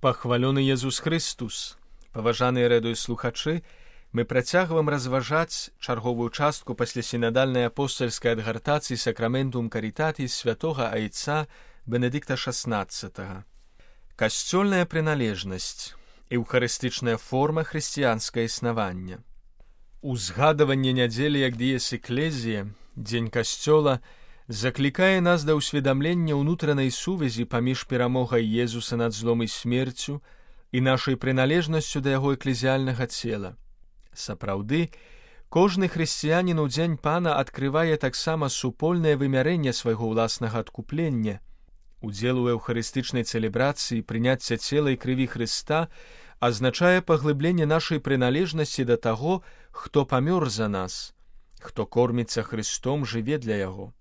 Пахвалёны Езус Христус! Паважаныя радыёслухачы, мы працягваем разважаць чарговую частку пасля сінадальнай апостальскай адгартацыі Сакраментум Карітатіс святога айца Бенедыкта XVI. Касцёльная прыналежнасць, эўхарыстычная форма хрысціянскага існавання. Узгадаванне нядзелі як дыес эклезія, дзень касцёла, заклікае нас да ўсведамлення ўнутранай сувязі паміж перамогай Езуса над злом і смерцю і нашай прыналежнасцю да яго эклезіяльнага цела. Сапраўды, кожны хрысціянін у дзень Пана адкрывае таксама супольнае вымярэнне свайго ўласнага адкуплення. Удзел у эўхарыстычнай цэлебрацыі прыняцця цела і крыві Хрыста азначае паглыбленне нашай прыналежнасці да таго, хто памёр за нас, хто корміцца Христом, жыве для яго.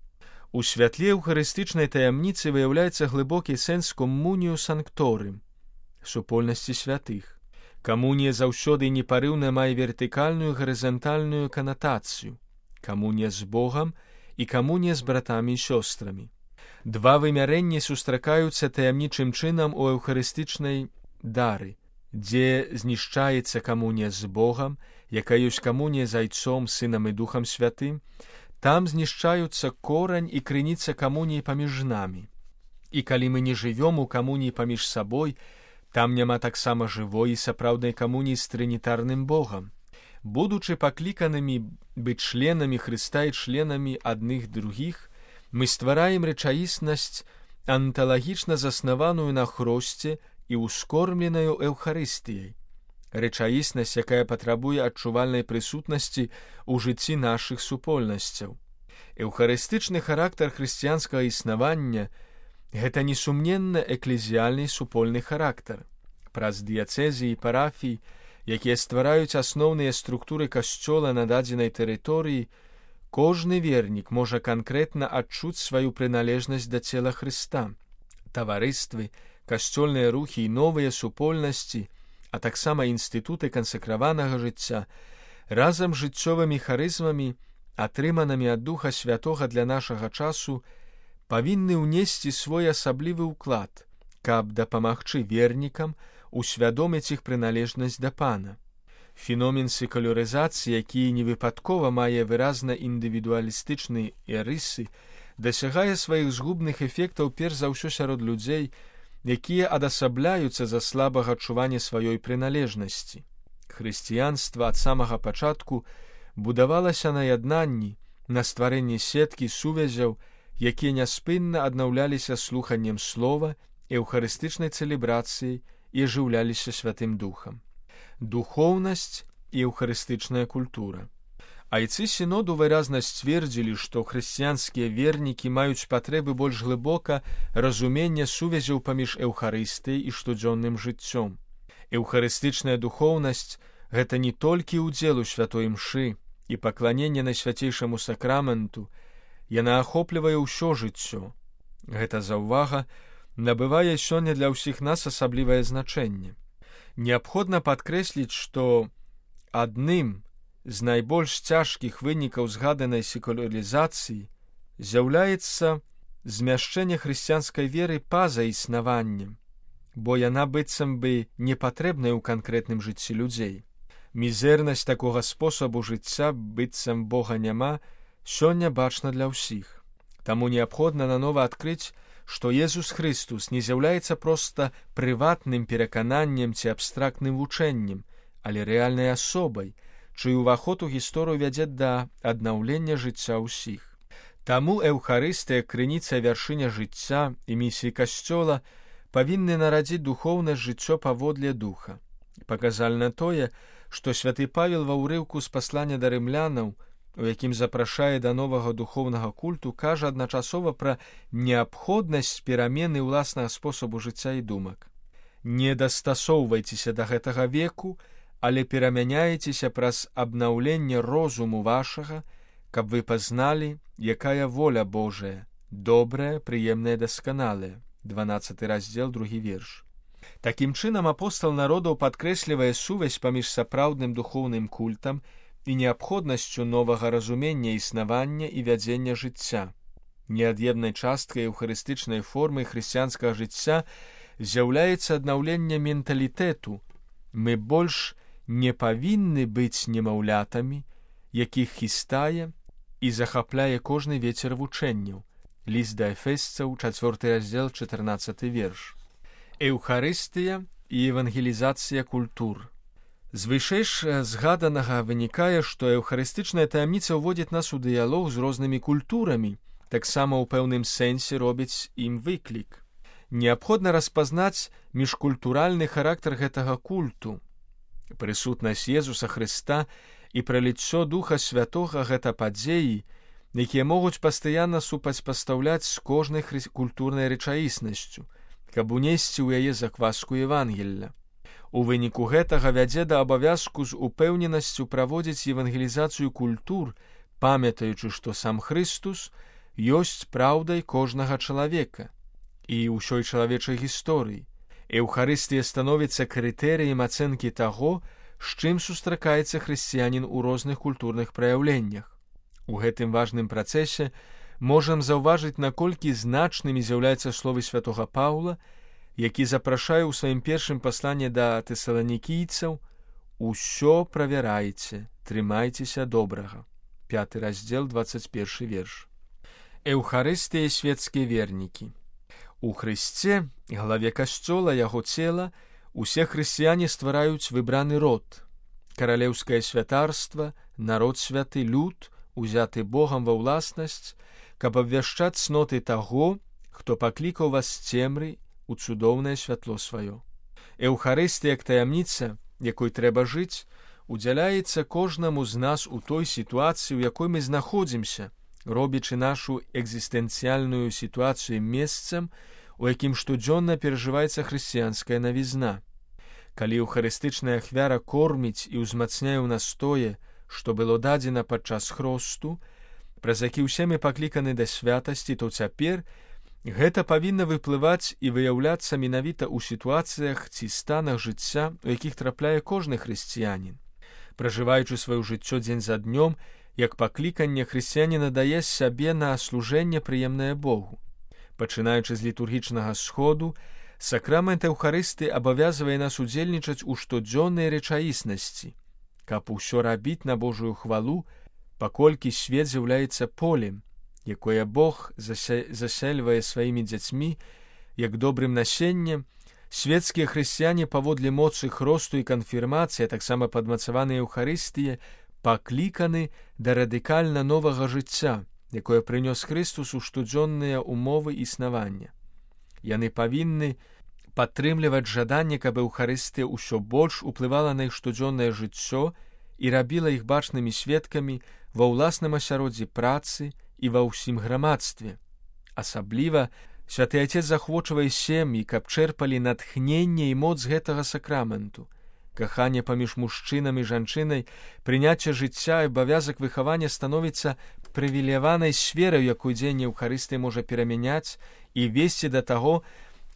У святле эўхарыстычнай таямніцы выяўляецца глыбокі сэнс коммунію санкторым, супольнасці святых. Камунія заўсёды непарыўна мае вертыкальную і гарызантальную канатацыю, камунія з Богам і камунія з братамі і сёстрамі. Два вымярэнні сустракаюцца таямнічым чынам у эўхарыстычнай дары, дзе знішчаецца камунія з Богам, якая ёсць камунія з Айцом, Сынам і Духам Святым, там знішчаюцца корань і крыніца камуніі паміж намі. І калі мы не жывём у камуніі паміж сабой, там няма таксама жывой і сапраўднай камуніі з трынітарным Богам. Будучы пакліканымі быць членамі Хрыста і членамі адных другіх, мы ствараем рэчаіснасць, анталагічна заснаваную на хросце і ускормленаю эўхарыстыяй. Рэчаіснасць, якая патрабуе адчувальнай прысутнасці ў жыцці нашых супольнасцяў. Эўхарыстычны характар хрысціянскага існавання – гэта несумненна эклезіяльны супольны характар. Праз дыяцэзі і парафій, якія ствараюць асноўныя структуры касцёла на дадзенай тэрыторыі, кожны вернік можа канкрэтна адчуць сваю прыналежнасць да цела Хрыста. Таварыствы, касцёльныя рухі і новыя супольнасці, а таксама інстытуты кансакраванага жыцця, разам з жыццёвымі харызмамі, атрыманымі ад Духа Святога для нашага часу, павінны ўнесці свой асаблівы ўклад, каб дапамагчы вернікам усвядоміць іх прыналежнасць да Пана. Феномен секулярызацыі, які невыпадкова мае выразна індывідуалістычныя рысы, дасягае сваіх згубных эфектаў перш за ўсё сярод людзей, якія адасабляюцца за слабага адчування сваёй прыналежнасці. Хрысціянства ад самага пачатку будавалася на яднанні, на стварэнні сеткі сувязяў, якія няспынна аднаўляліся слуханнем слова, эўхарыстычнай цэлебрацыяй і ажыўляліся Святым Духам. Духоўнасць і эўхарыстычная культура. Айцы сіноду выразна сцвердзілі, што хрысціянскія вернікі маюць патрэбы больш глыбока разумення сувязяў паміж эўхарыстыяй і штодзённым жыццём. Эўхарыстычная духоўнасць – гэта не толькі ўдзел у святой імшы і пакланенне найсвяцейшаму сакраменту, яна ахоплівае ўсё жыццё. Гэта заўвага набывае сёння для ўсіх нас асаблівае значэнне. Неабходна падкрэсліць, што адным з найбольш цяжкіх вынікаў згаданай секулярызацыі з'яўляецца змяшчэнне хрысціянскай веры па-за існаваннем, бо яна быццам бы не патрэбная ў канкрэтным жыцці людзей. Мізэрнасць такога спосабу жыцця, быццам Бога няма, сёння бачна для ўсіх. Таму неабходна нанова адкрыць, што Езус Христус не з'яўляецца проста прыватным перакананнем ці абстрактным вучэннем, але рэальнай асобай, чый уваход у гісторыю вядзе да аднаўлення жыцця ўсіх. Таму эўхарыстыя, крыніца вяршыня жыцця і місіі касцёла павінны нарадзіць духоўнасць жыццё паводле духа. Паказальна тое, што святы Павел ва ўрыўку з паслання да рымлянаў, у якім запрашае да новага духоўнага культу, кажа адначасова пра неабходнасць перамены ўласнага спосабу жыцця і думак. Не дастасоўвайцеся да гэтага веку, але перамяняецеся праз абнаўленне розуму вашага, каб вы пазналі, якая воля Божая, добрая, прыемная, дасканалая. 12 раздзел, 2 верш. Такім чынам апостал народаў падкрэслівае сувязь паміж сапраўдным духоўным культам і неабходнасцю новага разумення існавання і вядзення жыцця. Неад'емнай часткай эўхарыстычнай формы хрысціянскага жыцця з'яўляецца аднаўленне менталітэту. Мы больш не павінны быць немаўлятамі, якіх хістае і захапляе кожны вецер вучэнняў. Ліст да Эфесцаў, 4 раздзел, 14 верш. Эўхарыстыя і евангелізацыя культур. З вышэйш згаданага вынікае, што эўхарыстычная таямніца ўводзіць нас у дыялог з рознымі культурамі, таксама ў пэўным сэнсе робіць ім выклік. Неабходна распазнаць міжкультуральны характар гэтага культу. Прысутнасць Езуса Хрыста і праліццё Духа Святога гэта падзеі, якія могуць пастаянна супрацьпастаўляць з кожнай культурнай рэчаіснасцю, каб унесці ў яе закваску Евангелля. У выніку гэтага вядзе да абавязку з упэўненасцю праводзіць евангелізацыю культур, памятаючы, што сам Хрыстус ёсць праўдай кожнага чалавека і ўсёй чалавечай гісторыі. Эўхарыстыя становіцца крытэрыем ацэнкі таго, з чым сустракаецца хрысціянін у розных культурных праяўленнях. У гэтым важным працэсе можам заўважыць, наколькі значнымі з'яўляюцца словы святога Паўла, які запрашае ў сваім першым пасланні да тэсаланікійцаў: «Усё правярайце, трымайцеся добрага». 5 раздзел, 21 верш. Эўхарыстыя свецкія вернікі. У Хрысце, главе касцёла, яго цела, усе хрысціяне ствараюць выбраны род, каралеўскае святарства, народ святы, люд, узяты Богам ва ўласнасць, каб абвяшчаць цноты таго, хто паклікаў вас з цемры у цудоўнае святло сваё. Эўхарыстыя, як таямніца, якой трэба жыць, удзяляецца кожнаму з нас у той сітуацыі, у якой мы знаходзімся, робячы нашу экзістэнцыяльную сітуацыю месцам, у якім штодзённа перажываецца хрысціянская навізна. Калі эўхарыстычная ахвяра корміць і ўзмацняе ў нас тое, што было дадзена падчас хросту, праз які ўсе мы пакліканы да святасці, то цяпер гэта павінна выплываць і выяўляцца менавіта ў сітуацыях ці станах жыцця, у якіх трапляе кожны хрысціянін. Пражываючы сваё жыццё дзень за днём, як пакліканне, хрысціянін надае сябе на служэнне прыемнае Богу. Пачынаючы з літургічнага сходу, сакрамент Эўхарысты абавязвае нас удзельнічаць у штодзённай рэчаіснасці, каб усё рабіць на Божую хвалу, паколькі свет з'яўляецца полем, якое Бог засельвае сваімі дзяцьмі, як добрым насеннем. Свецкія хрысціяне паводле моцы хросту і канфірмацыі, таксама падмацаваныя Эўхарыстыі, пакліканы да радыкальна новага жыцця, якое прынёс Хрыстус у штодзённыя умовы існавання. Яны павінны падтрымліваць жаданне, каб Эўхарыстыя ўсё больш уплывала на іх штодзённае жыццё і рабіла іх бачнымі сведкамі ва ўласным асяроддзі працы і ва ўсім грамадстве. Асабліва святы Атец захвочвае сем'і, каб чэрпалі натхненне і моц гэтага сакраменту. Каханне паміж мужчынам і жанчынай, прыняцце жыцця і абавязак выхавання становіцца прывілеяванай сферай, якую дзеянне Эўхарыстыі можа перамяняць і весці да таго,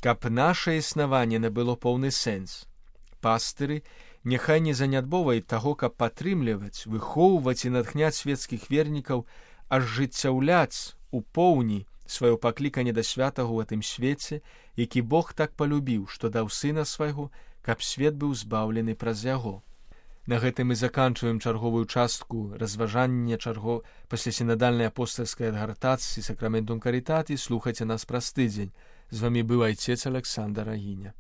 каб наша існаванне набыло поўны сэнс. Пастыры няхай не занядбоўваюць таго, каб падтрымліваць, выхоўваць і натхняць свецкіх вернікаў, ажыццяўляць у поўні сваё пакліканне да святага ў гэтым свеце, які Бог так полюбіў, што даў сына свайго, каб свет быў збаўлены праз яго. На гэтым мы заканчваем чарговую частку разважання паслясінадальнай апостальскай адгартацыі сакраментум карытаті. Слухайце нас праз тыдзень. З вамі быў айцец Аляксандр Агіня.